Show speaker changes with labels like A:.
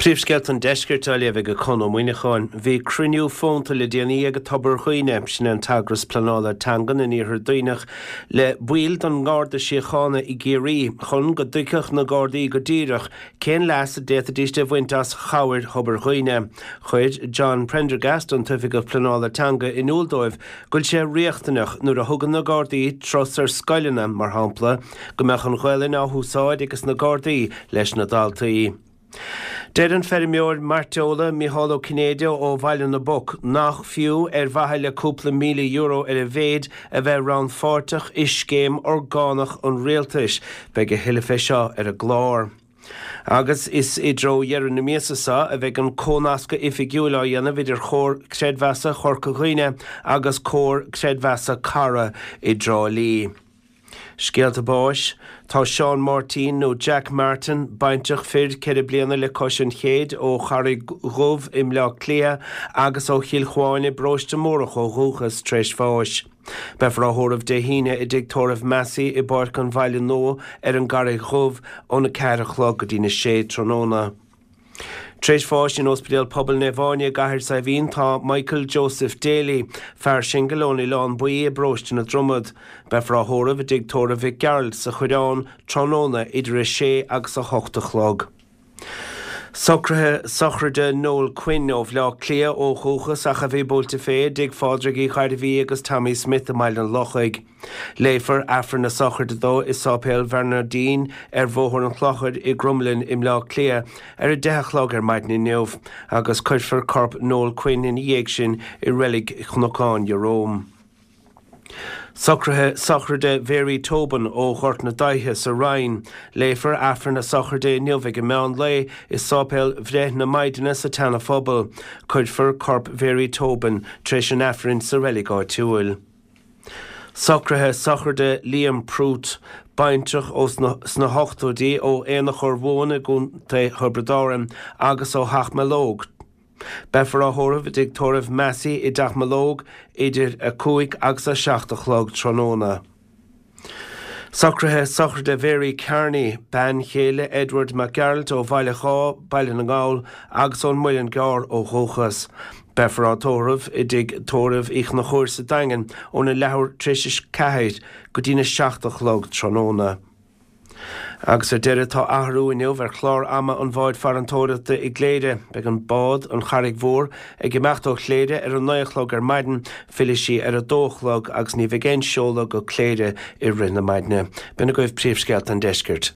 A: Príomhscéalta an Deiscirt á léamh ag Conn Ó Muíneacháin. Bhí cruinniú fónta le déanaí ag Tobar Dhuibhne, sin é an t-eagras pleanála teangan in Iarthar Duibhneach, le baill den nGarda Síochána i gCiarraí chun go dtuigfeadh na Gardaí go díreach cén leas a d'fhéadfaidís a bhaint as chabhair Thobar Dhuibhne. Chuir John Prendergast, an tOifigeach Pleanála Teanga, in iúl dóibh go bhfuil sé riachtanach nuair a thugann na Gardaí turas ar scoileanna, mar shampla, go mbeadh an Ghaelainn á húsáid ages na Gardaí leis na daltaí. Deir an feirmeoir mairteola Micheál Ó Cinnéide ó Bhaile na bPoc nach fiú ar mhaithe le cúpla €1,000 ar a mhéid a bheith rannpháirteach i scéim orgánach an rialtais. Beidh a thuilleadh fé seo ar an gclár. Agus is i dtreo dheireadh na míosa seo a bheidh an cónascadh oifigiúil á dhéanamh idir Chomhar Creidmheasa Chorca Dhuibhne agus Comhar Creidmheasa Cara i dTrá Lí. Scéalta báis, Tá Seán Máirtín nó Jack Martin, baintreach fir 4 bliana le cois an chéid ó Charraig Dhubh i mBleá Cliath agus ó Chill Chuáin i bParóiste Mórdhach ó dhúchas, tar éis bháis. Beifear á thórramh Dé hAoine i dTigh Tórraimh Massey i bPáirc an Bhaile Nua ar an gCarraig Dhubh óna 4 a chlog go dtína 6 tráthnóna. Tar éis bháis in Ospidéal Pobail Naomh Áine i gCathair Saidhbhín tá Michael Joseph Daly, fear singil ón Oileán Buí i bParóiste na Dromad. Beifear á thórramh i dTigh Tórraimh Mhic Gearailt sa Choireán tráthnóna idir 6 agus 8 a chlog. Socruithe sochraide Noel Quinn ó Bhleá Cliath ó dhúchas ach a bhí buailte fé i dTigh Phádraig Uí Ghairbhí agus Tommy Smith i mBaile an Lochaigh. Léifear Aifreann na sochraide dó i Sáipéal Bhearnairdín ar Bhóthar an Chlochair i gCromghlinn i mBleá Cliath ar 10 a chlog ar maidin inniu agus cuirfear corp Noel Quinn ina dhiaidh sin i Reilig Chnocán Ieróm. Socruithe sochraide Mhary Tobin ó Ghort na Daighthe sa Rinn. Léifear Aifreann a sochraide inniu ag an meán lae i Sáipéal Bhreith na Maighdine sa tSeana-Phobal. Cuirfear corp Mhary Tobin tar éis an Aifrinn sa reilig áitiúil. Socruithe sochraide Liam Prút, baintreach ó sna hochtóidí ó Aonach Urmhumhan i gContae Thiobraid Árann agus ó Theach Mealóg. Beifear á thórramh i dTigh Tórraimh Massey i dTeach Mealóg idir 5 agus 7 a chlog tráthnóna. Socruithe sochraide Mhary Kearney, bean chéile Edward Mac Gearailt ó Bhaile Dhá, Baile na nGall, agus ón Muileann gCearr ó dhúchas. Beifear á tórramh i dTigh Tórraimh Uí Chonchúir sa Daingean óna leathuair tar éis a 4 go dtína 7 a chlog tráthnóna. Agus ar deireadh, tá athrú inniu ar chlár ama an bháid farantóireachta i gCléire. Beidh an bád, an Charraig Mhór, ag imeacht ó Chléire ar a 9 a chlog ar maidin, fillfidh sí ar a 2 a chlog agus ní bheidh aon seoladh go Cléire i rith na maidne. B'in agaibh príomhscéalta an deiscirt.